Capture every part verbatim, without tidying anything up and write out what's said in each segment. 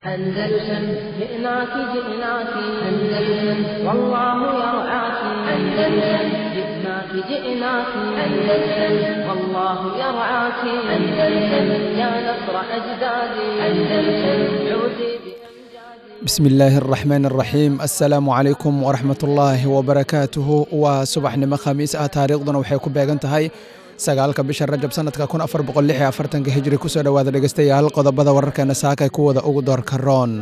أندلسن جئناك جئناك أندلسن والله يرعاك أندلسن جئناك جئناك أندلسن والله يرعاك أندلسن يا نصر أجدادي أندلسن عودي. بسم الله الرحمن الرحيم. Assalaamu calaykum waraxmatullaahi wabarakaatuhu. Waa subaxnimo khamiis ah, taariikhduna waxay ku beegan tahay sagaalka bisha Rajab sanadka kun afar boqol lix iyo afartanka hijri. Kusoo dhowaada dhegeystayaal qodobada wararkeena saakay kuwada ugu doorka roon.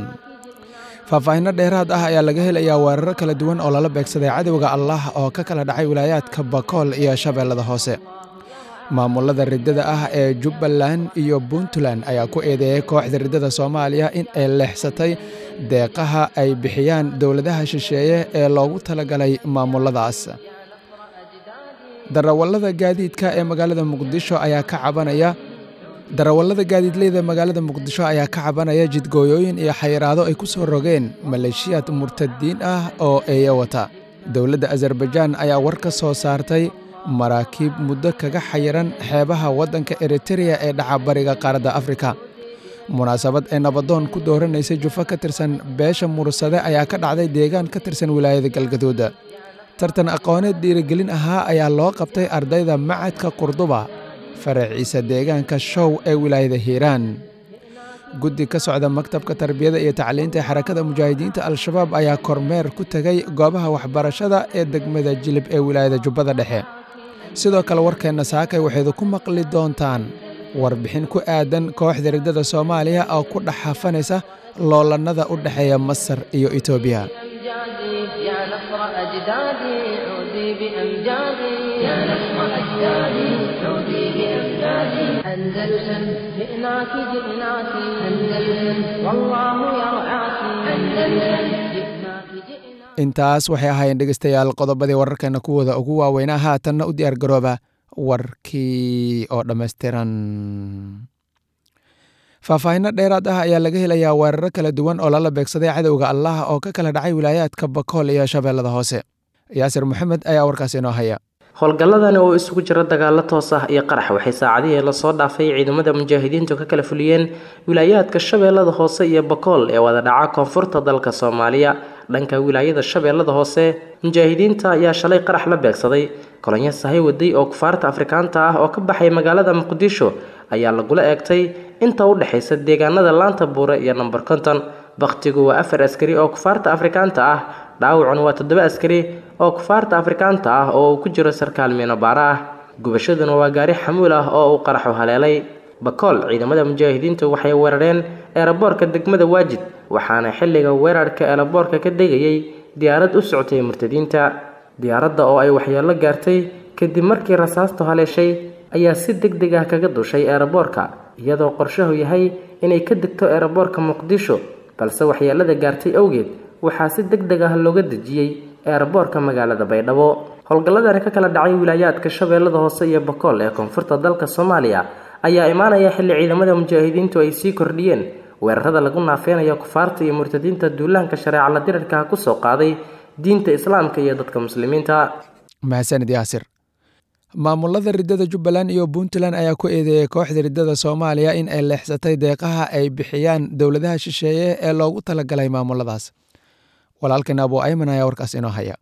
Faahfaahino dheeraad ah ayaa laga helayaa weeraro kala duwan oo lala beegsaday cadowga Allah oo ka kala dhacay wilaayaadka Bakool iyo Shabeellada Hoose. Maamulada riddada ah ee Jubbaland iyo Puntland ayaa ku eedeeyay kooxda riddada Soomaaliya in ay leexsatay deeqaha ay bixiyaan dowladaha shisheeye ee loogu talagalay maamuladaas. Darawallada gaadiidka ee magaalada Muqdisho ayaa ka cabanaya darawallada gaadiidleyda magaalada Muqdisho ayaa ka cabanaya jidgooyooyin iyo xayiraado ay ku soo rogeen maleeshiyaad murtadiin ah oo eeya wata. Dowladda Azarbajaan ayaa war ka soo saartay maraakiib muddo kaga xayiran xeebaha waddanka Eritereya ee dhaca bariga qaaradda Afrika. Munaasabad ay nabadoon ku dooranaysay jufo ka tirsan beesha Mursade ayaa ka dhacday deegaan ka tirsan wilaayada Galgaduud. Tartan aqooneed dhiirigelin ahaa ayaa loo qabtay ardayda Macadka Qurduba faraciisa deegaanka Show ee wilaayada Hiiraan. Guddi ka socda maktabka tarbiyada iyo tacliinta ee Xarakada Mujaahidiinta Al-Shabaab ayaa kormeer ku tegay goobaha waxbarashada ee degmada Jilib ee wilaayada Jubbada Dhexe. Sidoo kale warkeenna saakay waxayd ku maqli doontaan warbixin ku aadan kooxda riddada Soomaaliya oo ku dhex hafanaysa loolannada u dhexeeya Masar iyo Itoobiya. يا نصر أجدادي عودي بأمجادي يا نصر أجدادي عودي بأمجادي أندلسن جئناك جئناك أندلسن والله يرعاك أندلسن جئناك جئناك. Intaas waxay ahaayeen dhegeystayaal qodobadii wararkeena kuwooda ugu waaweynaa. Haatanna u diyaar garooba warkii oo dhammaystiran. Faahfaahino dheeraad ah ayaa laga helayaa weeraro kala duwan oo lala beegsaday cadowga Allah oo ka kala dhacay wilaayaadka Bakool iyo Shabeellada Hoose. Yaasir Maxamed ayaa warkaas inoo haya. Howlgalladani oo isugu jira dagaalo toos ah iyo qarax waxay saacadihii lasoo dhaafay ciidamada mujaahidiintu ka kala fuliyeen wilaayaadka Shabeellada Hoose iyo Bakool ee wada dhaca koonfurta dalka Soomaaliya. Dhanka wilaayada Shabeellada Hoose, mujaahidiinta ayaa shalay qarax la beegsaday kolonyo sahay waday oo kufaarta Afrikaanta ah oo ka baxay magaalada Muqdisho ayaa lagula eegtay inta u dhexaysa deegaanada Laanta Buure iyo Nambar konton. Bakhtigu waa afar askari oo kufaarta Afrikaanta ah, dhaawacuna waa toddoba askari oo kufaarta Afrikaanta ah oo uu ku jiro sarkaal miino-baara ah. Gubashaduna waa gaari xamuul ah oo uu qaraxu haleelay. Bakool, ciidamada mujaahidiintu waxay weerareen eeraboorka degmada Waajid, waxaana xilliga weerarka eeraboorka ka degayay diyaarad u socotay murtadiinta. Diyaaradda oo ay waxyeello gaartay kadib markii rasaastu haleeshay ayaa si degdeg ah kaga dushay eeraboorka, iyadoo qorshahu yahay inay ka degto eeraboorka Muqdisho, balse waxyeellada gaartay awgeed waxaa si degdeg ah looga dejiyey eeraboorka magaalada Baydhabo. Howlgalladani ka kala dhacay wilaayaadka Shabeellada Hoose iyo Bakool ee koonfurta dalka Soomaaliya ayaa imaanaya xilli ciidamada mujaahidiintu ay sii kordhiyeen weerarada lagu naafeynayo kufaarta iyo murtadiinta duulaanka shareeca la dirirka ku soo qaaday diinta islaamka iyo dadka muslimiinta. Mahadsanid Yaasir. Maamulada riddada Jubbaland iyo Puntland ayaa ku eedeeyay kooxda riddada Soomaaliya in ay leexsatay deeqaha ay bixiyaan dowladaha shisheeye ee loogu talagalay maamuladaas. Walaalkan Abu Ayman ayaa warkaas inoo haya.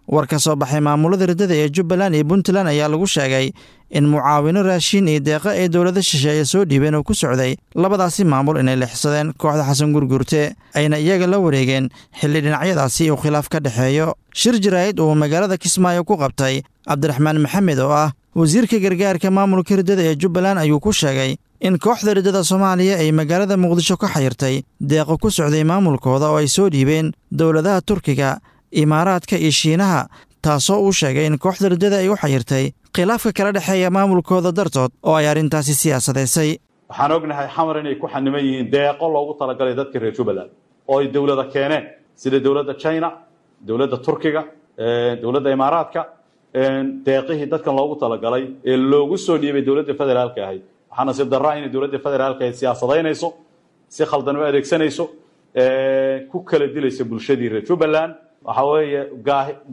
War ka soo baxay maamulada riddada ee Jubbaland iyo Puntland ayaa lagu sheegay in mucaawino raashin iyo deeqa ay dowlada shisheeye soo dhiibeen oo ku socday labadaasi maamul inay leexsadeen kooxda Xasan Gurgurte, ayna iyaga la wareegeen xilli dhinacyadaasi uu khilaaf ka dhexeeyo. Shir jaraa'id uu magaalada Kismaayo ku qabtay Cabdiraxmaan Maxamed oo ah wasiirka gargaarka maamulka riddada ee Jubbaland ayuu ku sheegay in kooxda riddada Soomaaliya ay magaalada Muqdisho ka xayirtay deeqo ku socday maamulkooda oo ay soo dhiibeen dowladaha Turkiga, Imaaraadka iyo Shiinaha, taasoo uu sheegay in kooxda riddada ay u xayirtay khilaafka kala dhexeeya maamulkooda dartood oo ay arrintaasi siyaasadaysay. Waxaan ognahay xamar inay ku xaniman yihiin deeqo loogu talagalay dadka reer Jubbaland oo ay dowlada keeneen sida dowladda China, dowladda Turkiga, dowladda Imaaraadka. Deeqihii dadkan loogu talagalay ee loogu soo dhiibay dowladda federaalka ahayd, waxaa nasiib darraa inay dowladda federaalka ahayd siyaasadaynayso, si khaldan u adeegsanayso, ku kala dilayso bulshadii reer Jubbaland. Waxa weeye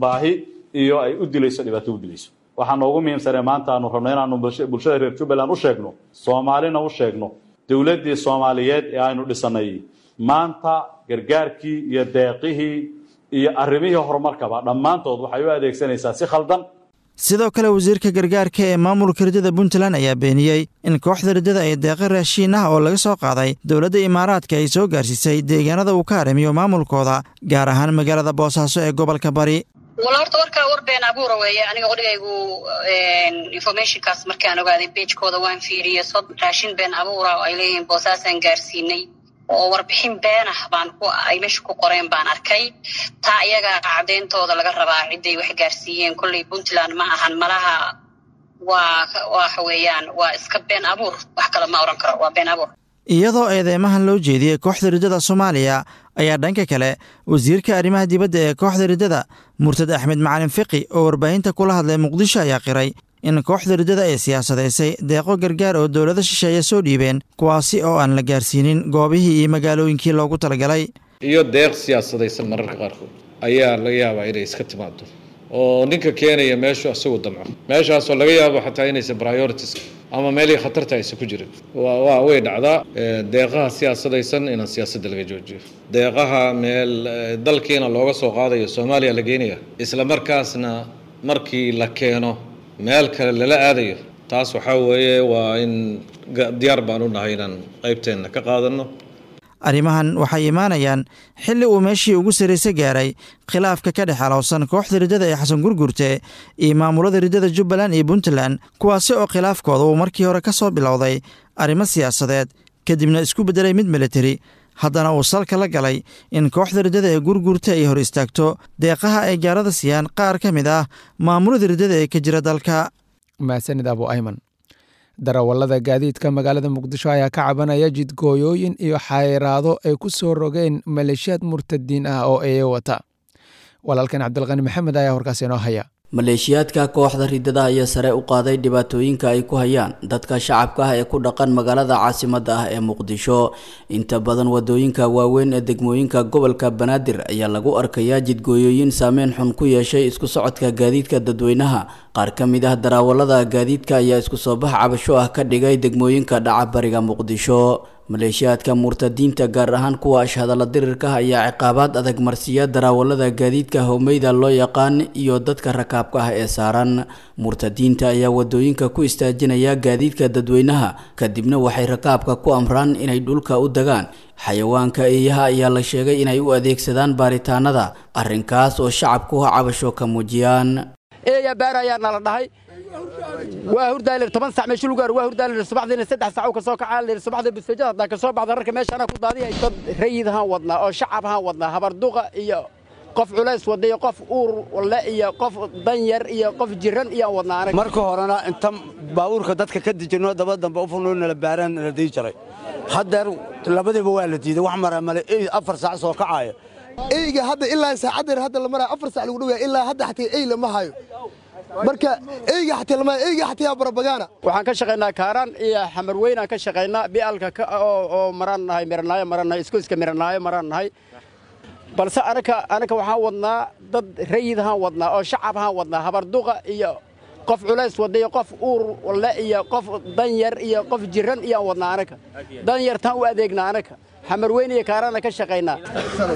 baahi iyo ay u dilayso, dhibaato u dilayso. Waxaa noogu muhiimsanee maanta aanu rabno inaanu bulshada reer Jubbaland u sheegno, Soomaalina u sheegno, dowladdii Soomaaliyeed ee aynu dhisanay Maanta gargaarkii iyo deeqihii iyo arrimihii horumarkaba dhammaantood waxay u adeegsanaysaa si khaldan. Sidoo kale wasiirka gargaarka ee maamulka riddada Puntland ayaa beeniyey in kooxda riddada ay deeqa raashiin ah oo laga soo qaaday dowladda Imaaraadka ay soo gaarsiisay deegaanada uu ka haramiyo maamulkooda, gaar ahaan magaalada Boosaaso ee gobolka Bari. Wala horta warkaa war been abuura weeye. Aniga qodhigaygu informationkaas markaan ogaaday pagekooda waan fiiriyey, sod raashin been abuura oo ay leeyihiin Boosaasaan gaarsiinay oo warbixin been ah baan ku ay meesha ku qoreen baan arkay. Taa iyaga cadeyntooda laga rabaa ciday wax gaarsiiyeen. Kolley Puntland ma ahan malaha, waa waxa weeyaan waa iska been abuur, wax kale ma oran karo, waa been abuur. Iyadoo eedeymahan loo jeediyey kooxda riddada Soomaaliya ayaa dhanka kale wasiirka arrimaha dibadda ee kooxda riddada Murtad Axmed Macalin Fiqi oo warbaahinta kula hadlay Muqdisho ayaa qiray in kooxda riddada ay siyaasadaysay deeqo gargaar oo dowlado shisheeye soo dhiibeen, kuwaasi oo aan la gaarsiinin goobihii iyo magaalooyinkii loogu talagalay. Iyo deeq siyaasadaysan mararka qaarkood ayaa laga yaabaa inay iska timaado oo ninka keenaya meeshu isagu damco, meeshaasoo laga yaabo xataa inaysan priorities ama meelihii khatarta aysan ku jirin. Waa way dhacdaa deeqaha siyaasadaysan inaan siyaasadda laga joojiyo, deeqaha meel dalkiina looga soo qaadayo Soomaaliya la geynaya, isla markaasna markii la keeno meel kale lala aadayo. Taas waxaa weeye waa in diyaar baan u nahay inaan qaybteenna ka qaadanno. Arrimahan waxay imaanayaan xilli uu meeshii ugu sarraysa gaaray khilaafka ka dhex alowsan kooxda riddada ee Xasan Gurgurte iyo maamulada riddada Jubbaland iyo Puntland, kuwaasi oo khilaafkooda uu markii hore ka soo bilowday arrimo siyaasadeed, kadibna isku beddelay mid militari, haddana uu salka la galay in kooxda riddada ee Gurgurte ay hor istaagto deeqaha ay gaarada siiyaan qaar ka mid ah maamulada riddada ee ka jira dalka. Mahadsanid Abu Ayman. Darawallada gaadiidka magaalada Muqdisho ayaa ka cabanaya jidgooyooyin iyo xayiraado ay ku soo rogeen maleeshiyaad murtadiin ah oo eeyo wata. Walaalkan Cabdilqani Maxamed ayaa horkaas inoo haya. Maleeshiyaadka kooxda riddada ayaa sare u qaaday dhibaatooyinka ay ku hayaan dadka shacabka ah ee ku dhaqan magaalada caasimadda ah ee Muqdisho. Inta badan wadooyinka waaweyn ee degmooyinka gobolka Banaadir ayaa lagu arkayaa jidgooyooyin saameyn xun ku yeeshay isku socodka gaadiidka dadweynaha. Qaar ka mid ah darawallada gaadiidka ayaa isku soo bax cabasho ah ka dhigay degmooyinka dhaca bariga Muqdisho. Maleeshiyaadka murtadiinta gaar ahaan kuwa ashhadalla dirirka ayaa ciqaabaad adag marsiiya darawallada gaadiidka howmeyda loo yaqaan iyo dadka rakaabka ah ee saaran. Murtadiinta ayaa wadooyinka ku istaajinaya gaadiidka dadweynaha, kadibna waxay rakaabka ku amraan inay dhulka u dagaan. Xayawaanka eeyaha ayaa la sheegay inay u adeegsadaan baaritaanada, arrinkaas oo shacabku cabasho ka muujiyaan. Eeya baar ayaa nala dhahay, waa hurdaalir toban sac meesha lagu gaaro, waa hurdaalir subaxdiina saddex sac ka soo kacaa lir subaxdii bisajada haddaan ka soo baxda rarka meesha anaa ku daadiyay. Dad rayid ahaan wadnaa oo shacab ahaan wadnaa, habarduqa iyo qof culays wada iyo qof uur le iyo qof danyar iyo qof jiran iyo wadnaa anaga. Marka horena inta baabuurka dadka ka dejino daba dambe u furno nala baaraan nala dii jaray, haddeer labadiiba waa la diiday, wax maraa male afar saac soo kacaya. Eyga hadda ilaa saacaddeer hadda la maraayo afar saac lagu dhowyaa, ilaa hadda xataa ey lama hayo. Marka eyga xataa lama eyga xataa barabagaana. Waxaan ka shaqaynaa Kaaraan iyo Xamarweyn aan ka shaqaynaa, bialka oo oo maraan nahay miranaayo maraan nahay isku iska miranaayo maraan nahay. Balse anaka anaka waxaan wadnaa dad rayid ahaan wadnaa oo shacab ahaan wadnaa, habarduqa iyo qof culays wada iyo qof uur le iyo qof danyar iyo qof jiran iyo wadnaa anaka. Danyartaan u adeegnaa anaka. Xamarweyn iyo Kaaraana ka shaqaynaa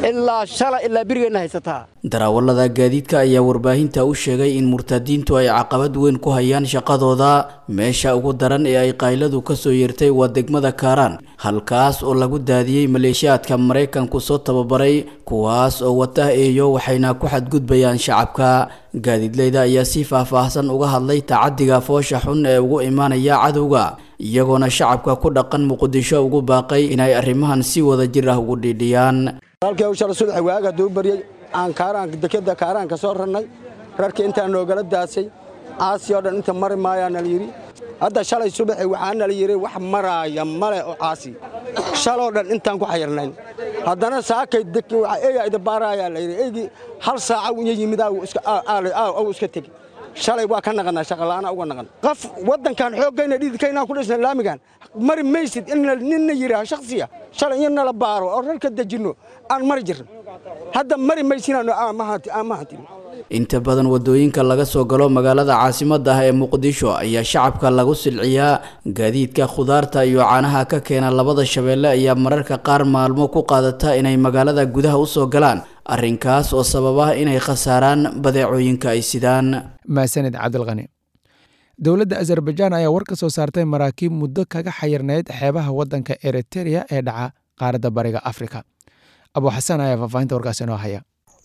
ilaa shala ilaa birigeena haysataa. Darawallada gaadiidka ayaa warbaahinta u sheegay in murtadiintu ay caqabad weyn ku hayaan shaqadooda. Meesha ugu daran ee ay qayladu ka soo yeertay waa degmada Kaaraan, halkaas oo lagu daadiyey maleeshiyaadka Maraykanku soo tababaray, kuwaas oo wata eeyo waxayna ku xadgudbayaan shacabka. Gaadiidleyda ayaa si faahfaahsan uga hadlay tacadiga foosha xun ee ugu imaanaya cadowga, iyagoona shacabka ku dhaqan Muqdisho ugu baaqay inay arrimahan si wada jir ah ugu dhiidhiyaan. Halkii uu shalay subax waaga duu bariyay aan Kaaraan dekada Kaaraan ka soo rarnay, rarkii intaan noogala daasay caasi oo dhan inta mari maayaan la yiri. Hadda shalay subax waxaan la yiri wax maraaya male oo caasi shaloo dhan intaan ku xayirnayn. Haddana saakay dekii waxa eeya ida baaraaya la yiri, eegi hal saaca uu yimid aa iska aa iska tagi. Shalay waa ka naqanaa shaqo la'aan uga naqan. Qof wadankan xoogayna dhididkayna ku dhisnay laamigan mari maysid in ninna yiraah shakhsiya shalay in nala baaro oo rarka dejino aan mari jirin. Hadda mari maysinano aan ma hanti aan ma hanti. Inta badan wadooyinka laga soo galo magaalada caasimadda ah ee Muqdisho ayaa shacabka lagu silciyaa. Gaadiidka khudaarta iyo caanaha ka keena labada shabeelle ayaa mararka qaar maalmo ku qaadata inay magaalada gudaha usoo galaan, arrinkaas oo sababa inay khasaaraan badeecooyinka ay sidaan. Maasanid Cabdilqani. Dowladda Azerbaijaan ayaa war ka soo saartay maraakiib muddo kaga xayirnayd xeebaha waddanka Eritereya ee dhaca qaaradda Bariga Afrika. Abu Xasan ayaa faahfaahinta warkaas inoo haya.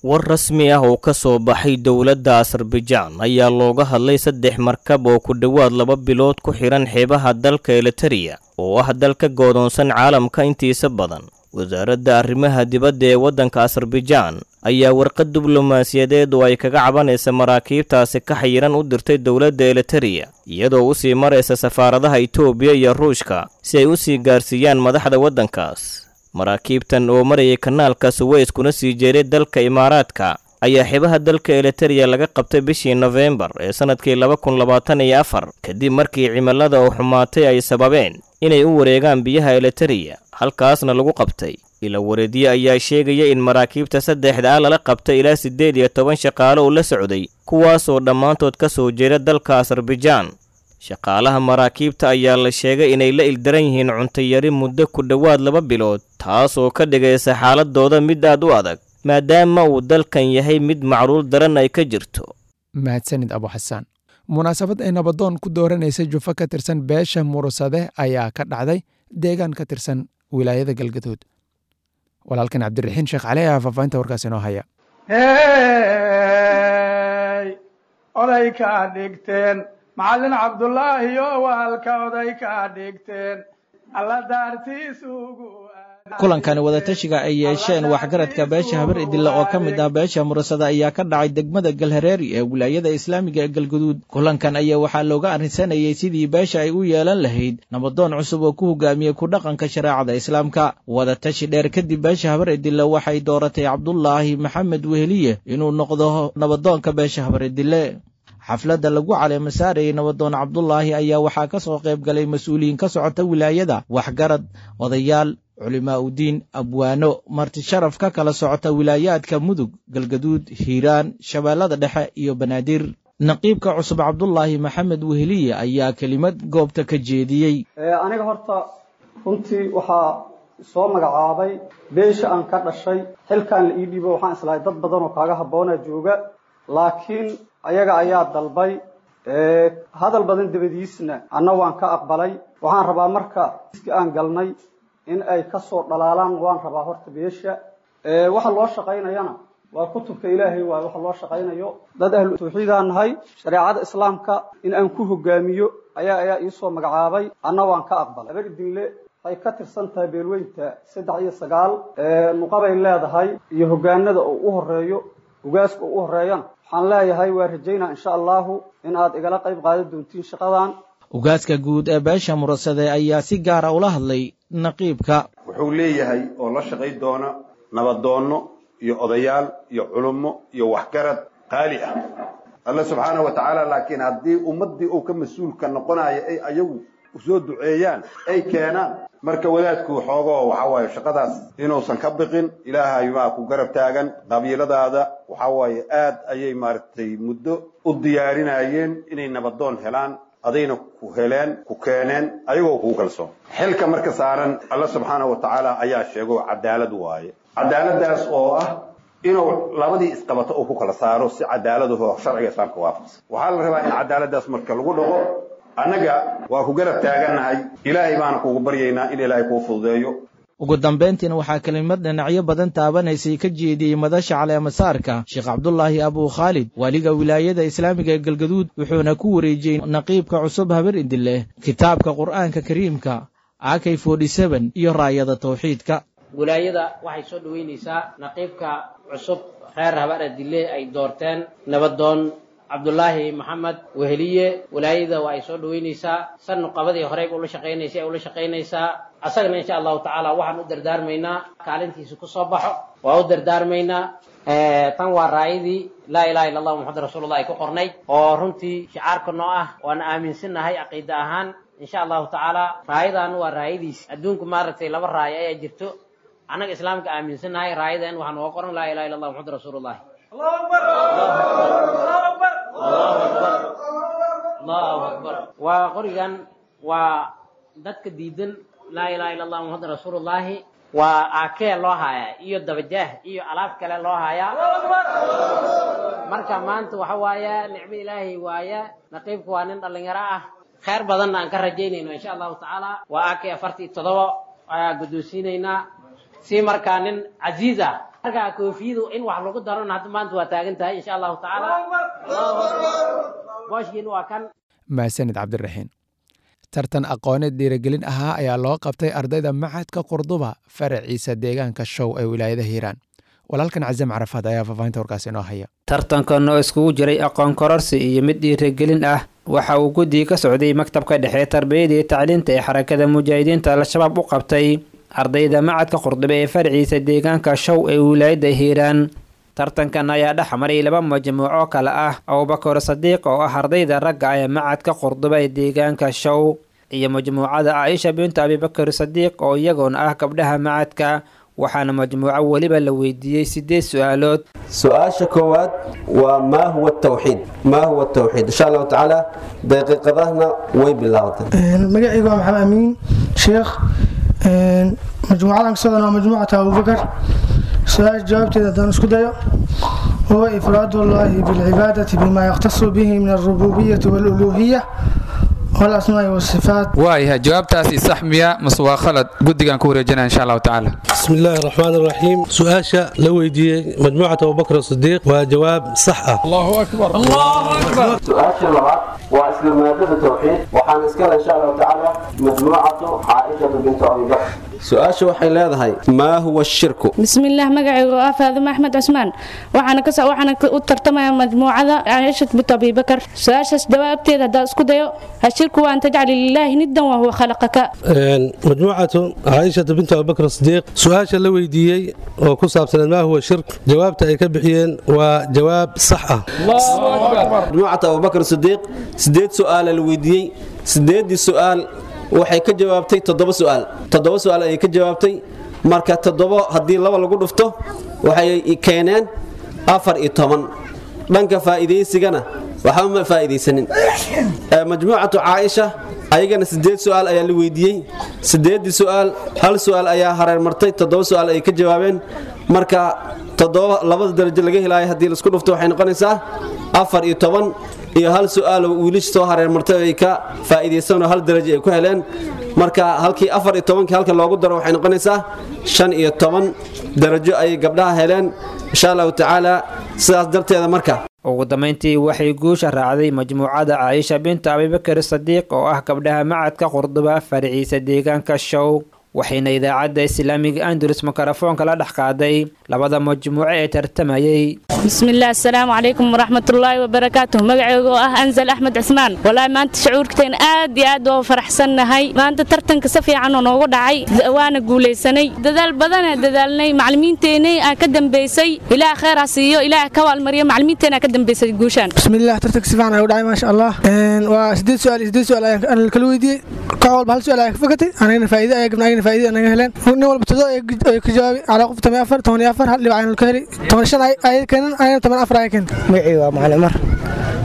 War rasmi ah oo ka soo baxay dowladda Azerbaijan ayaa looga hadlay saddex markab oo ku dhowaad laba bilood ku xiran xeebaha dalka Eritereya oo ah dalka goodoonsan caalamka intiisa badan. Wasaaradda arrimaha dibadda ee waddanka Azerbaijan ayaa warqad diblomaasiyadeed oo ay kaga cabanaysa maraakiibtaasi ka xayiran u dirtay dowladda Eritereya, iyadoo u sii maraysa safaaradaha Itoobiya iyo Ruushka si ay u sii gaarsiiyaan madaxda waddankaas. Maraakiibtan oo marayay kanaalka Suweys kuna sii jeeray dalka Imaaraadka ayaa xeebaha dalka Eritereya laga qabtay bishii Nofeembar ee sanadkii laba kun labaatan iyo afar, kadib markii cimilada oo xumaatay ay sababeen inay u wareegaan biyaha Eritereya, halkaasna lagu qabtay. Ila wareedye ayaa sheegaya in maraakiibta saddexda ah lala qabtay ilaa siddeed iyo toban shaqaale oo la socday, kuwaasoo dhammaantood ka soo jeeda dalka Azerbaijan. Shaqaalaha maraakiibta ayaa la sheegay inay la ildaran yihiin cunto yari muddo ku dhowaad laba bilood, taasoo ka dhigaysa xaaladooda mid aad u adag, maadaama uu dalkan yahay mid macluul daran ay ka jirto. Mahadsanid Abu Xasaan. Munaasabad ay nabadoon ku dooranaysay jufo ka tirsan beesha Murusade ayaa ka dhacday deegaan ka tirsan wilaayada Galgaduud. Walaalkan Cabdiraxiin Sheekh Cali ayaa faahfaahinta warkaas inoo haya. Oday kaa dhigteen Macallin Cabdulaahi oo waalka oday kaa dhigteen alla daartiisugu. Kulankani wadatashiga ay yeesheen waxgaradka beesha Habar Idille oo ka mid ah beesha Murasada ayaa ka dhacay degmada Galhareeri ee wilaayada islaamiga ee Galguduud. Kulankan ayaa waxaa looga arrinsanayay sidii beesha ay u yeelan lahayd nabadoon cusub oo ku hogaamiyey ku dhaqanka shareecada islaamka. Wadatashi dheer kadib, beesha Habar Idille waxay dooratay Cabdulaahi Maxamed Weheliye inuu noqdo nabadoonka beesha Habar Idille. Xafladda lagu caleema saarayay nabadoon Cabdulaahi ayaa waxaa ka soo qayb galay mas-uuliyiin ka socota wilaayada, waxgarad, odayaal, culimaa udiin, abwaano, marti sharaf ka kala socota wilaayaadka Mudug, Galgaduud, Hiiraan, Shabeellada Dhexe iyo Banaadir. Naqiibka cusub Cabdulaahi Maxamed Weheliye ayaa kelimad goobta ka jeediyey. Aniga horta runtii waxaa soo magacaabay beesha aan ka dhashay. Xilkaan la ii dhiibo waxaan islahay dad badan oo kaaga habboona jooga, laakiin ayaga ayaa dalbay. Hadal badan dabadiisna anna waan ka aqbalay. Waxaan rabaa marka iski aan galnay in ay ka soo dhalaalaan, waan rabaa horta beesha. Waxa loo shaqaynayana waa kutubka Ilaahay, waay waxa loo shaqaynayo. Dad ahlu tawxiidaan nahay, shareecada islaamka in aan ku hogaamiyo ayaa ayaa iisoo magacaabay, anna waan ka aqbalay. Habar Idinle waxay ka tirsan tahay beelweynta saddex iyo sagaal nuqabay leedahay iyo hogaanada oo u horeeyo ugaaska oo u horeeyana. Waxaan leeyahay waa rajaynaa insha Allahu in aad igala qayb qaadan doontiin shaqadan. Ugaaska guud ee beesha Murasade ayaa si gaara ula hadlay naqiibka. Wuxuu leeyahay oo la shaqay doona nabadoonno iyo odayaal iyo culummo iyo waxgarad qaali ah Alla subxaanahu wa tacaala. Laakiin haddii ummaddii uu ka mas-uulka noqonayo ay ayagu soo duceeyaan ay keenaan, marka wadaadku xoogoo waxaa waaye shaqadaas inuusan ka biqin. Ilaahay baa ku garab taagan. Qabiiladaada waxaa waaye aad ayay maaragtay muddo u diyaarinayeen inay nabadoon helaan, adayna ku heleen, ku keeneen ayagoo kugu kalsoon. Xilka marka saaran Alla subxaanahu wa tacaala ayaa sheego cadaalad waaye, cadaaladdaas oo ah inuu labadii isqabato uu ku kala saaro si cadaaladaho sharciga islaamka waafaqsan. Waxaa la rabaa in cadaaladdaas marka lagu dhaqo. Annaga waa ku garab taagannahay, Ilaahay baana kugu baryaynaa in Ilaahay kuu fududeeyo. Ugu dambayntiina waxaa kelimad dhinacyo badan taabanaysay ka jeediyey madasha caleemasaarka Sheekh Cabdulaahi Abu Khaalid, waaliga wilaayada islaamiga ee Galgaduud, wuxuuna ku wareejiyey naqiibka cusub Habar Idille kitaabka Qur'aanka Kariimka A K iyo raayada tawxiidka. Wilaayada waxay soo dhoweynaysaa naqiibka cusub reer Habar Idille ay doorteen, nabadoon Cabdulaahi Maxamed Weheliye. Wilaayada waa ay soo dhoweynaysaa, san nuqabadii horeyba ula shaqaynaysay ay ula shaqaynaysaa. Asagana insha Allahu tacaala waxaan u dardaarmaynaa kaalintiisa ku soo baxo, waa u dardaarmaynaa. Tan waa raayadii laa ilaha illa Allah Muxamad rasuulullah ay ku qornay oo runtii shicaarka noo ah, waana aaminsannahay caqiida ahaan insha Allahu tacaala. Raayadan waa raayadiis adduunku maaragtay laba raayo ayaa jirto, annaga islaamka aaminsannahay. Raayadan waxaa nooga qoran laa ilaha illa Allah Muxamad rasuulullah. Allahu akbar. Waa qorigan waa dadka diidan laa ilaaha illa allah muhammad rasuulullaahi, waa aakee loo hayaa iyo dabajaah iyo alaab kale loo hayaa. Marka maanta waxa waaye nicmo ilaahay waaye. Naqiibku waa nin dhallinyaro ah, khayr badanna aan ka rajaynayno insha allahu tacaala. Waa aakee afartii toddoba ayaa guddoonsiinaynaa si markaa nin casiiz ah. Marka koofiyadu in wax lagu darona hadda maanta waa taagan tahay insha allahu tacaala. Booshkiina waa kan. Mahadsanid Cabdiraxiin. Tartan aqooneed dhiirigelin ahaa ayaa loo qabtay ardayda Machadka Qurduba faraciisa deegaanka Show ee wilaayada Hiiraan. Walaalkan Casam Carafaad ayaa faahfaahinta warkaas inoo haya. Tartankan oo iskugu jiray aqoon kororsi iyo mid dhiirigelin ah waxa uu guddiga ka socday maktabka dhexe tarbiyada iyo tacliinta ee Xarakada Mujaahidiinta Al-Shabaab u qabtay ardayda Machadka Qurduba ee faraciisa deegaanka Show ee wilaayada Hiiraan. Tartankan ayaa dhex maray laba majmuuco kale ah, Abubakar Sadiiq oo ah ardayda ragga ee Machadka Qurduba ee deegaanka Show iyo majmuucada Caaisha bintu Abibakar Sadiiq oo iyagoona ah gabdhaha machadka. Waxaana majmuuco weliba la weydiiyey sideed su-aalood. Su-aasha koowaad waa maa huwa tawxiid, maa huwa tawxiid. Insha allahu tacaala daqiiqadahna way bilaabatay. Magacaygu waa Maxamed Amiin Sheekh, majmuucadan kasocdan waa majmuucata Abubakar. Su-aasha jawaabteeda haddaan isku dayo, huwa ifraadu llahi bilcibaadati bima yakhtasu bihi min alrububiyati waluluhiya walasmaai wasifaat. Waayahay, jawaabtaasi sax miya mase waa khalad? Guddigaan ku wareejinaya insha allahu tacaala. بسم الله الرحمن الرحيم. سؤاشا لو ويديي مجموعة أبو بكر الصديق وجواب صح. الله أكبر، الله أكبر. Su-aasha labaad waa isla maadada tawxiid, waxaana iskale insha allahu tacaala majmuucatu Caaishatu bintu Abi Bakr. Su-aasha waxay leedahay maa huwa shirku. Bismillaah, magacaygu waa Faadimo Axmed Cusmaan, waxaana ka waxaana u tartamaya majmuucada Caaisha bint Abi Bakar. Su-aashaas jawaabteeda haddaan isku dayo, ashirku waa an tajcala lilaahi niddan wa huwa khalaqaka. مجموعة عائشة بنت أبو بكر الصديق، سؤاشا لو ويديي oo ku saabsan maa huwa shirk, jawaabta ay ka bixiyeen waa jawaab sax ah. Majmuucata Abubakar Sidiiq sideed su-aal la weydiiyey, sideedii su-aal waxay ka jawaabtay toddoba su-aal, toddoba su-aal ayay ka jawaabtay. Marka toddoba haddii laba lagu dhufto waxay keeneen afar iyo toban. Dhanka faa'iidaysigana waxba ma faa'iidaysanin. Majmuucatu Caaisha ayagana sideed su-aal ayaa la weydiiyey, sideedii su-aal hal su-aal ayaa hareer martay, toddoba su-aal ay ka jawaabeen. Marka toddoba labada darajo laga helaayo haddii laisku dhufto waxay noqonaysaa afar iyo toban, iyo hal su-aal oo wiilish soo hareer martay ay ka faa'iidaysan oo hal darajo ay ku heleen. Marka halkii afar iyo tobankii halka loogu daro waxay noqonaysaa shan iyo toban darajo ayay gabdhaha heleen insha allahu tacaala. Sidaas darteeda marka ugu dambeyntii waxay guusha raacday majmuucada Caaisha bintu Abibakar Sadiiq oo ah gabdhaha Machadka Qurduba faraciisa deegaanka Show, waxayna idaacadda Islaamiga Andalus mikrofoonka la dhex qaaday labada majmuuco ee tartamayay. Bismillaah, assalaamu calaykum waraxmatullaahi wabarakaatuh. Magacaygu oo ah Anzal Axmed Cismaan. Walaahi maanta shucuurteen aad iyo aad waa faraxsannahay. Maanta tartanka si fiican oo noogu dhacay, waana guulaysanay. Dadaal badan aan dadaalnay, macallimiinteenay aan ka dambeysay. Ilaah khayr ha siiyo, ilaah ka waalmariyo macallimiinteena ka dambeysay guushaan. Bismillaah, tartanka si fiican ayuu dhacay maasha Allah. Waa sideed su'aal, sideed su'aal ayaan kala weydiiyey. Koox walba hal su'aal ayaan ka fakatay, anagana faa'iido ayaan gabnay, anagana faa'iido anaga heleen. Nin walba todoba ay ka jawaabay, calaa qof toban iyo afar, toban iyo afar hal dhibic ayaan ka helay, toban iyo shan ay keeneen, ayana toban afar ay keeneen. Magacaygu waa Macallin Umar.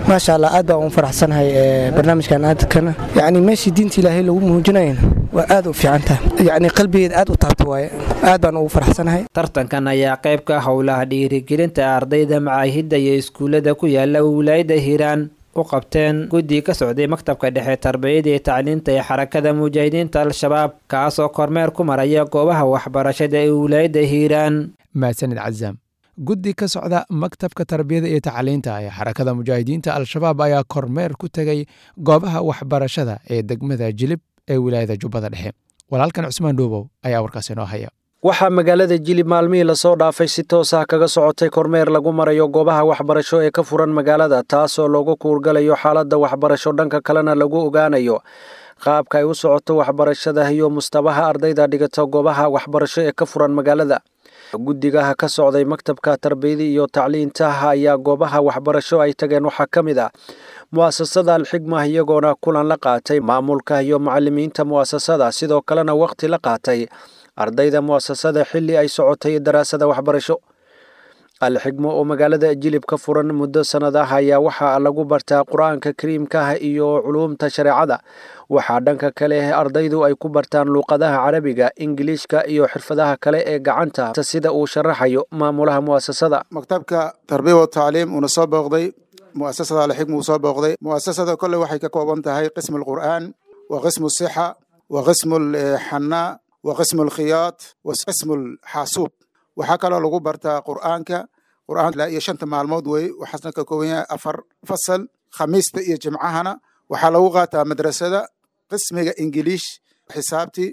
Maasha Allah, aad baan ugu faraxsanahay barnaamijkan aadkana. Yacni meeshii diinta Ilaahay lagu muujinayana waa aad u fiican tahay, yacni qalbigeeda aad u taabta waaye, aad baan ugu faraxsanahay. Tartankan ayaa qayb ka howlaha dhiirigelinta ardayda macaahidda iyo iskuullada ku yaala wilaayada Hiiraan u qabteen guddi ka socday maktabka dhexe tarbiyada iyo tacliinta ee Xarakada Mujaahidiinta Al-Shabaab, kaasoo kormeer ku maraya goobaha waxbarashada ee wilaayada Hiiraan. Mahadsanid Cazaam. Guddi ka socda maktabka tarbiyada iyo tacliinta ee Xarakada Mujaahidiinta Al-Shabaab ayaa kormeer ku tegay goobaha waxbarashada ee degmada Jilib ee wilaayada Jubbada Dhexe. Walaalkan Cusmaan Dhuubow ayaa warkaas inoo haya. Waxaa magaalada Jilib maalmihii lasoo dhaafay si toos ah kaga socotay kormeer lagu marayo goobaha waxbarasho ee ka furan magaalada, taasoo loogu kuurgalayo xaaladda waxbarasho, dhanka kalena lagu ogaanayo qaabka ay u socoto waxbarashada iyo mustabaha ardayda dhigata goobaha waxbarasho ee ka furan magaalada. Guddigaha ka socday maktabka tarbiyada iyo tacliinta ayaa goobaha waxbarasho ay tageen waxaa ka mid ah mu'asasada Alxigma, iyagoona kulan la qaatay maamulka iyo macallimiinta mu'asasada, sidoo kalena waqti la qaatay ardayda mu'asasada xilli ay socotay daraasada waxbarasho. Alxigmo oo magaalada Jilib ka furan muddo sannad ah ayaa waxaa lagu bartaa Qur-aanka Kariimka ah iyo culuumta shareecada. Waxaa dhanka kale ardaydu ay ku bartaan luuqadaha Carabiga, Ingiliishka iyo xirfadaha kale ee gacanta, sida uu sharaxayo maamulaha mu'asasada. Maktabka Tarbiya wa Tacliim uuna soo booqday mu'asasada Alxigmo uu soo booqday. Mu'asasada kolley waxay ka kooban tahay qismu alqur'aan wa qismu sixa wa qismu alxanaa wa qismu alkhiyaat wa qismu alxaasuub. Waxaa kaloo lagu bartaa qur'aanka, qur'aan ilaa iyo shanta maalmood wey, waxaasna ka kooban yahay afar fasal. Khamiista iyo Jimcahana waxaa lagu qaataa madrasada qismiga Ingiliish, xisaabtii,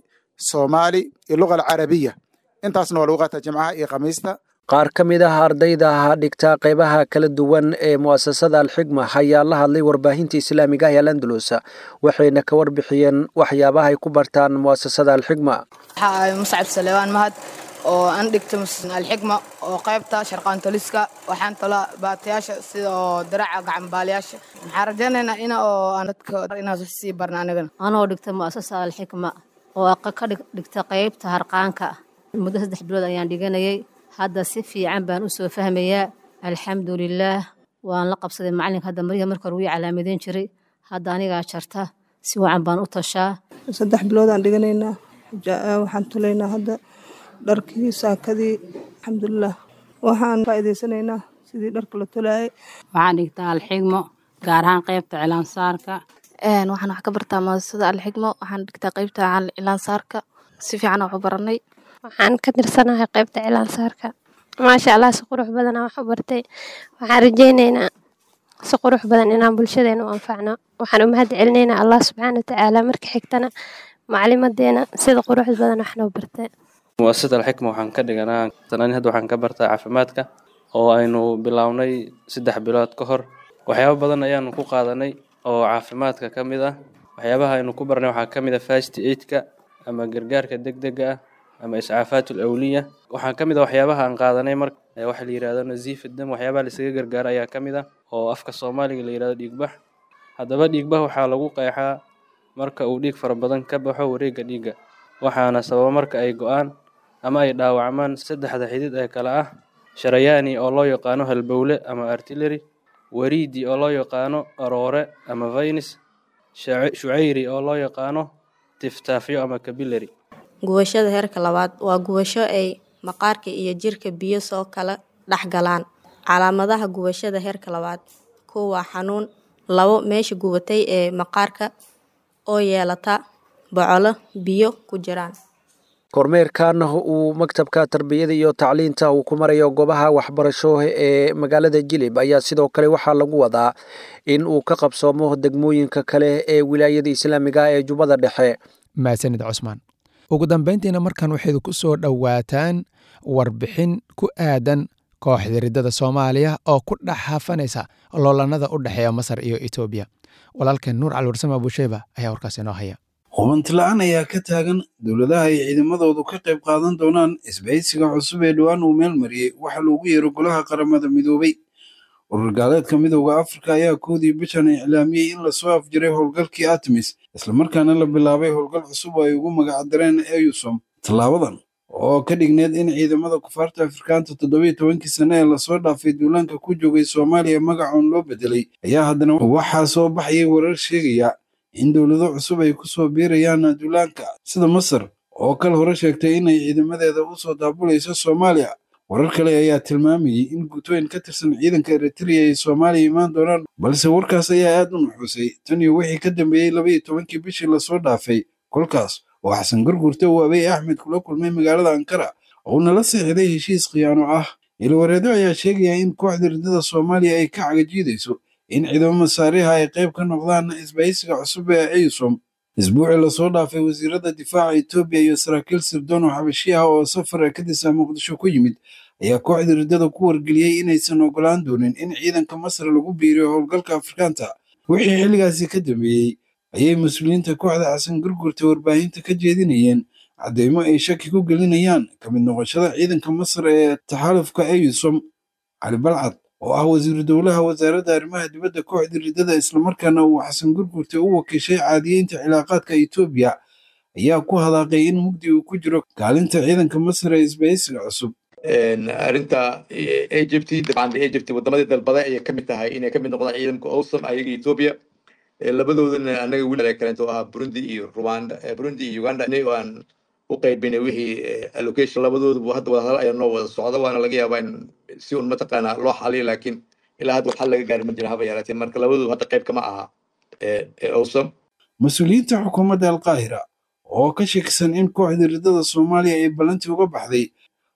Soomaali iyo luga alcarabiya. Intaasna waa lagu qaataa Jimcaha iyo Khamiista. Qaar ka mid ah ardayda dhigta qaybaha kala duwan ee mu'asasada Alxigma ayaa la hadlay warbaahinta islaamiga ah ee Al-Andalus, waxayna ka warbixiyeen waxyaabaha ay ku bartaan mu'asasada Alxigma. Waxaa Muscab Salewaan Mahad oo aan dhigto Alxigma oo qaybta sharqaantoliska. Waxaan tolaa baatayaasha sida oo daraca gacanbaalayaasha. Waxaan rajaynaynaa ina oo aan dadka inaan wax sii barna anigana. Anoo dhigta mu'asasada Alxigma oo ka dhigta qaybta harqaanka, muddo saddex bilood ayaan dhiganayay. Hadda si fiican baan u soo fahmayaa, alxamdulilaah. Waan la qabsaday macalinka. Hadda maryaha marka hore wii calaamadeyn jiray, hadda anigaa jarta, si wacan baan u tashaa. Saddex bilood aan dhiganaynaa, waxaan tolaynaa hadda dharkii, saakadii, alxamdulilah. Waxaan faa'iidaysanaynaa sidii dharka la tolaayay. Waxaan dhigtaa Alxigmo, gaar ahaan qaybta cilaansaarka. Waxaan wax ka bartaa muasasada Alxigmo, waxaan dhigtaa qaybta cilaansaarka, si fiican wax u baranay. Waxaan ka tirsanahay qaybta cilaansaarka. Maasha Allah, si qurux badan aan wax u bartay. Waxaan rajaynaynaa si qurux badan inaan bulshadeena u anfacno. Waxaan u mahad celinaynaa Allah subxaana watacaala, marka xigtana macalimadeena sida quruxda badan wax noo bartay. Muasasada Alxikma waxaan ka dhiganaa sanadii, hadda waxaan ka bartaa caafimaadka oo aynu bilownay saddex bilood ka hor. Waxyaabo badan ayaanu ku qaadanay oo caafimaadka ka mid ah. Waxyaabaha aynu ku barnay waxaa ka mid ah first aid-ka ama gargaarka degdega ah ama iscaafaat alawliya. Waxaa ka mid ah waxyaabaha aan qaadanay mar waxa la yidhahdo nasiif dam, waxyaabaha la isaga gargaaro ayaa ka mid ah oo afka Soomaaliga la yidhahdo dhiigbax. Haddaba dhiigbax waxaa lagu qeexaa marka uu dhiig fara badan ka baxo wareegga dhiigga, waxaana sababa marka ay go'aan ama ay dhaawacmaan saddexda xidid ee kala ah sharayaani oo loo yaqaano halbowle ama artillery, wariidi oo loo yaqaano aroore ama veins, shucayri oo loo yaqaano tiftaafyo ama capillary. Gubashada heerka labaad waa gubasho ay maqaarka iyo jirka biyo soo kala dhex galaan. Calaamadaha gubashada heerka labaad: kow waa xanuun, labo meesha gubatay ee maqaarka oo yeelata bocolo biyo ku jiraan. Kormeerkan uu maktabka tarbiyada iyo tacliinta uu ku marayo goobaha waxbarasho ee magaalada Jilib ayaa sidoo kale waxaa lagu wadaa in uu ka qabsoomo degmooyinka kale ee wilaayada islaamiga ee Jubbada Dhexe. Mahadsanid Cusmaan. Ugu dambayntiina markan waxayd ku soo dhowaataan warbixin ku aadan kooxda riddada Soomaaliya oo ku dhex hafanaysa loolanada u dhexeeya Masar iyo Itoobiya. Walaalkeen Nuur Cali Warsame Abuusheyba ayaa warkaas inoo haya. Hubanti la'aan ayaa ka taagan dowladaha ay ciidamadoodu ka qayb qaadan doonaan isbahaysiga cusub ee dhowaan uu meel mariyey waxa loogu yeero Golaha Qaramada Midoobay. Urur gaaleedka Midowga Afrika ayaa koodii bishan iclaamiyey in lasoo afjiray howlgalkii Artemis, islamarkaana la bilaabay howlgal cusub oo ay ugu magacdareen EUSOM. Tallaabadan oo ka dhigneed in ciidamada kufaarta Afrikaanta toddobiyo tobankii sane ee lasoo dhaafay duulaanka ku joogay Soomaaliya magacoon loo bedelay ayaa haddana waxaa soo baxayay warar sheegaya in dowlado cusub ay kusoo biirayaan duulaanka, sida Masar oo kal hore sheegtay inay ciidamadeeda usoo daabulayso Soomaaliya. Warar kale ayaa tilmaamayay in guutooyin ka tirsan ciidanka Eritrea ay Soomaaliya imaan doonaan, balse warkaas ayaa aad u nuxuusay tan iyo wixii ka dambeeyey laba iyo tobankii bishii lasoo dhaafay, kolkaas oo Xasan Gurgurte uu Abiy Axmed kula kulmay magaalada Ankara uuna la seexday heshiis khiyaano ah. Ilwareedo ayaa sheegaya in kooxda riddada Soomaaliya ay ka cagajiidayso in ciidamo masaariha ay qayb ka noqdaan isbahaysiga cusub ee EUSOM. Isbuucii lasoo dhaafay, wasiirada difaaca Itoobiya iyo saraakiil sirdoon oo xabashi ah oo safar ka disa Muqdisho ku yimid ayaa kooxda riddada ku wargeliyey inaysan ogolaan doonin in ciidanka Masar lagu biiriyo howlgalka Afrikaanta. Wixii xilligaasi ka dambeeyey ayay mas-uuliyiinta kooxda Xasan Gurgurta warbaahinta ka jeedinayeen caddeymo ay shaki ku gelinayaan ka mid noqoshada ciidanka Masar ee taxaalufka EUSOM. Cali Balcad oo ah wasiiru dowlaha wasaaradda arrimaha dibadda kooxda riddada, islamarkaana uu Xasan Gurgurte u wakiishay caadiyeynta cilaaqaadka Itoobiya, ayaa ku hadaaqay in mugdi uu ku jiro kaalinta ciidanka Masar ee isbahaysiga cusub. Arrinta Egypt, dabcan Egypt wadamadii dalbaday ayay ka mid tahay inay ka mid noqdaan ciidanka AUSSOM, ayaga Ethiopia labadoodana. Anaga wiil kaleento ahaa Burundi iyo Rwanda, Burundi iyo Uganda oo aan u qaybinay wixii allocation labadooduba. Hadda wadahadal ayaa noo wada socda, waana laga yaabaa in si un mataqaanaa loo xaliyo, laakiin ilaa hadda wax xal laga gaari ma jira haba yaraatee. Marka labadoodu hadda qayb kama aha AUSSOM. Mas-uuliyiinta xukuumadda Alqaahira oo ka shakisan in kooxda riddada Soomaaliya ay ballantii uga baxday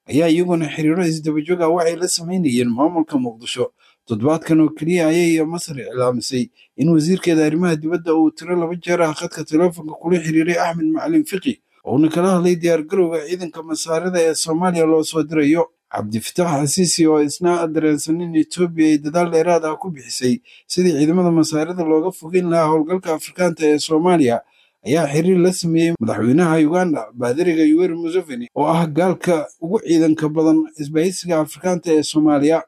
ayaa iyaguna xiriiro isdabajoog ah waxay la samaynayeen maamulka Muqdisho. Toddobaadkan oo keliya ayay Masar iclaamisay in wasiirkeeda arrimaha dibadda uu tiro laba jeer ah khadka teleefonka kula xiriiray Axmed Macalin Fiqi, uuna kala hadlay diyaargarowga ciidanka Masaarida ee Soomaaliya loo soo dirayo. Cabdifitaax Xasiisi oo isna dareensan in Etoobiya ay dadaal dheeraad ah ku bixisay sidii ciidamada Masaarida looga fogeyn lahaa howlgalka Afrikaanta ee Soomaaliya ayaa xiriir la sameeyey madaxweynaha Uganda, baadiriga Yoweri Museveni, oo ah gaalka ugu ciidanka badan isbahaysiga Afrikaanta ee Soomaaliya.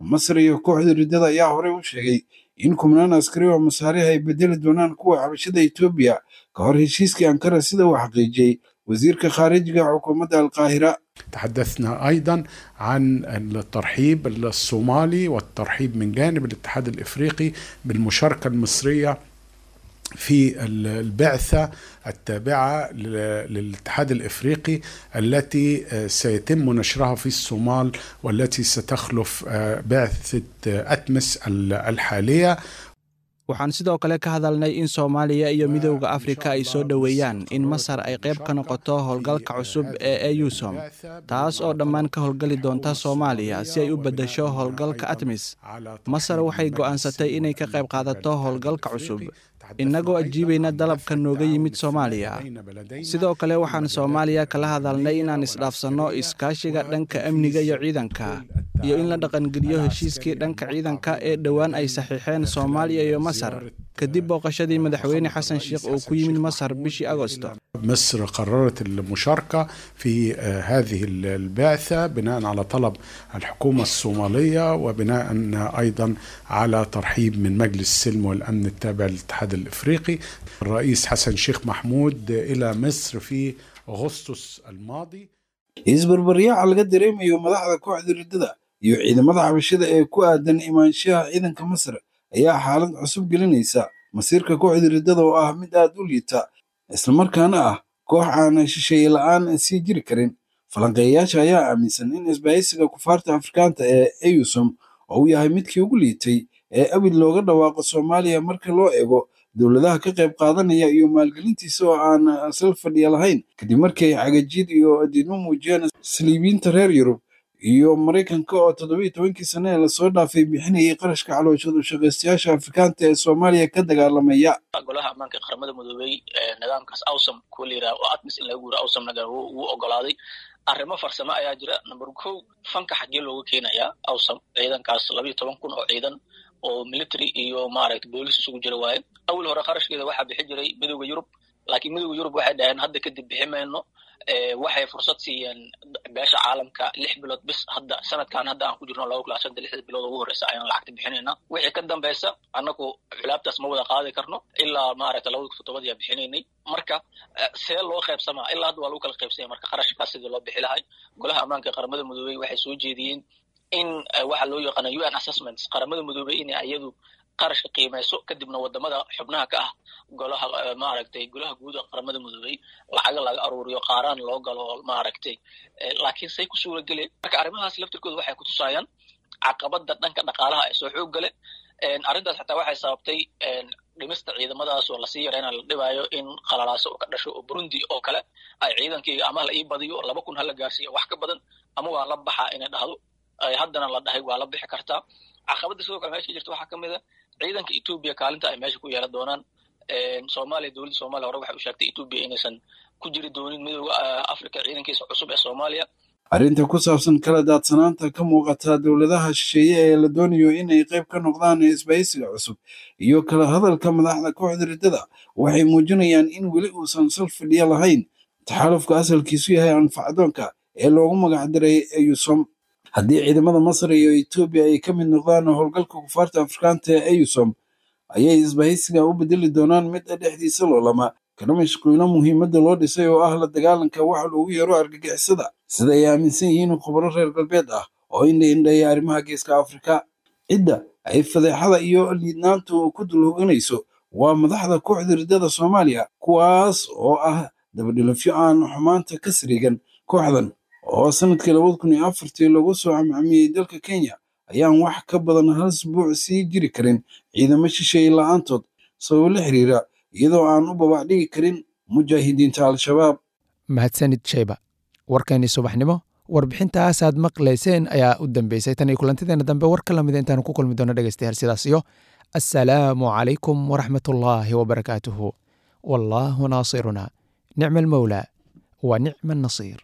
Masar iyo kooxda riddada ayaa horey u sheegay in kumnaan askari oo Masaariha ay bedeli doonaan kuwa xabashada Etoobiya ka hor heshiiskii Ankara, sida uu xaqiijiyey wasiirka khaarijiga xukuumadda Alqaahira. تحدثنا ايضا عن الترحيب الصومالي والترحيب من جانب الاتحاد الافريقي بالمشاركه المصريه في البعثه التابعه للاتحاد الافريقي التي سيتم نشرها في الصومال والتي ستخلف بعثه اتمس الحاليه. Waxaan sidoo kale ka hadalnay in Soomaaliya iyo Midowda Afrika ay soo dhoweeyaan in Masar ay qayb ka noqoto howlgalka cusub ee AUSSOM, taas oo dhammaan ka howlgali doonta Soomaaliya si ay u beddesho howlgalka ATMIS. Masar waxay go'aansatay inay ka qayb qaadato howlgalka cusub, innagoo ajiibayna dalabka nooga yimid Soomaaliya. Sidoo kale waxaan Soomaaliya kala hadalnay inaan isdhaafsanno iskaashiga dhanka amniga iyo ciidanka, iyo in la dhaqangeliyo heshiiskii dhanka ciidanka ee dhowaan ay saxiixeen Soomaaliya iyo Masar kadib booqashadii Madaxweyne Xasan Sheekh oo ku yimid Masar bishii Agosto. مصر قررت المشاركة في هذه البعثة بناء على طلب الحكومة الصومالية وبناء أيضا على ترحيب من مجلس السلم والأمن التابع للاتحاد الإفريقي. الرئيس حسن شيخ محمود إلى مصر في أغسطس الماضي. Isbarbaryaaca laga dareemayo madaxda kooxda riddada iyo ciidamada xabashida ee ku aadan imaanshaha ciidanka Masar ayaa xaalad cusub gelinaysa masiirka kooxda riddada oo ah mid aad u liita, islamarkaana ah koox aan shisheeye la'aan sii jiri karin. Falanqeeyayaasha ayaa aaminsan in isbahaysiga kufaarta Afrikaanta ee AUSSOM oo uu yahay midkii ugu liitay ee abid looga dhawaaqo Soomaaliya marka loo eego dowladaha ka qayb qaadanaya iyo maalgelintiisa oo aan sal fadhiya lahayn, kadib markii ay cagajiid iyo diidmo muujiyeen saliibiinta reer Yurub iyo Maraykanka oo toddobiyo tobankii sane ee lasoo dhaafay bixinayay qarashka calooshadu shaqaystayaasha Afrikaanta ee Soomaaliya ka dagaalamaya. Golaha Ammaanka ee Qaramada Midoobay nidaamkaas AUSSOM kuwa la yidhaha oo ATMIS in laga guuro AUSSOM-na wuu ogolaaday. Arrimo farsamo ayaa jira. Number kow, fanka xaggee looga keenayaa AUSSOM ciidankaas labayo toban kun oo ciidan oo military iyo maaragta boolis isugu jira waaye? Awal hore qarashkeeda waxaa bixi jiray Midowda Yurub, laakiin Midowda Yurub waxay dhaheen hadda kadib bixi mayno. Waxay fursad siiyeen beesha caalamka lix bilood bis. Hadda sanadkan hadda aan ku jirno laba kun shanta, lixda bilood ugu horeysa ayaan lacagta bixinayna. Wixii ka dambeysa annagu culaabtaas ma wada qaadi karno. Ilaa maaragta labada kun toddobadii aa bixinaynay. Marka see loo qaybsamaa? Ilaa hadda waa lagu kala qaybsanya. Marka qarashkaas sidii loo bixi lahay, Golaha Ammaanka ee Qaramada Midoobey waxay soo jeediyeen in waxa loo yaqaana U N assessments, Qaramada Midoobey inay iyadu qarashka qiimeyso, kadibna wadamada xubnaha ka ah golaha, maaragtay, golaha guud ee Qaramada Midoobey lacaga laga aruuriyo, qaaraan loo galo, maaragtay. Laakiin say ku suura geleen? Marka arrimahaas laftirkooda waxay kutusayaan caqabada dhanka dhaqaalaha ee soo xoog gale. Arrintaas xataa waxay sababtay dhimista ciidamadaas oo lasii yarayna la dhibaayo in qalalaaso oo ka dhasho oo Burundi oo kale ay ciidankayga ama la ii badiyo, laba kun hala gaarsiiyo wax ka badan, ama waa la baxaa inay dhahdo. Haddana la dhahay waa la bixi kartaa. Caqabadda sidoo kale meesha ka jirta waxaa ka mid a ciidanka Etoobiya kaalinta ay meesha ku yeelan doonaan Soomaaliya. Dowladda Soomaaliya hore waxay u sheegtay Etoobiya inaysan ku jiri doonin Midowda Africa ciidankiisa cusub ee Soomaaliya. Arrinta ku saabsan kala daadsanaanta ka muuqata dowladaha shisheeye ee la doonayo inay qayb ka noqdaan isbahaysiga cusub iyo kala hadalka madaxda kooxda riddada waxay muujinayaan in weli uusan sal fadhiya lahayn taxaalufka asalkiisu yahay anfacdoonka ee loogu magacdaray AUSSOM. Haddii ciidamada Masar iyo Etoobiya ay ka mid noqdaan howlgalka kufaarta Afrikaanta ee AUSSOM, ayay isbahaysiga u bedeli doonaan mid dhexdiisa loolama. Kana mashquulo muhiimadda loo dhisay oo ah la dagaalanka waxa loogu yeero argagixisada, sida ay aaminsan yihiin khubaro reer galbeed ah oo indha-indheeya arrimaha Geeska Afrika. Cidda ay fadeexada iyo liidnaantu ku dul hoganayso waa madaxda kooxda riddada Soomaaliya, kuwaas oo ah dabadhilafyo aan xumaanta ka sariigan. Kooxdan oo sanadkii labada kun iyo afartii lagu soo camcamiyey dalka Kenya ayaan wax ka badan hal isbuuc sii jiri karin ciidamo shisheeye la'aantood sababo la xiriira iyadoo aan u babac dhigi karin mujaahidiinta Al-Shabaab. Mahadsanid Sheyba. Warkeenii subaxnimo warbixintaasaad maqlayseen ayaa u dambeysay. Tan iyo kulantideena dambe war ka lamida intaanu ku kulmi doono dhegeystayaal, sidaas iyo assalaamu calaykum waraxmatullaahi wabarakaatuhu. Wallaahu naasiruna, nicma almawlaa wa nicma annasiir.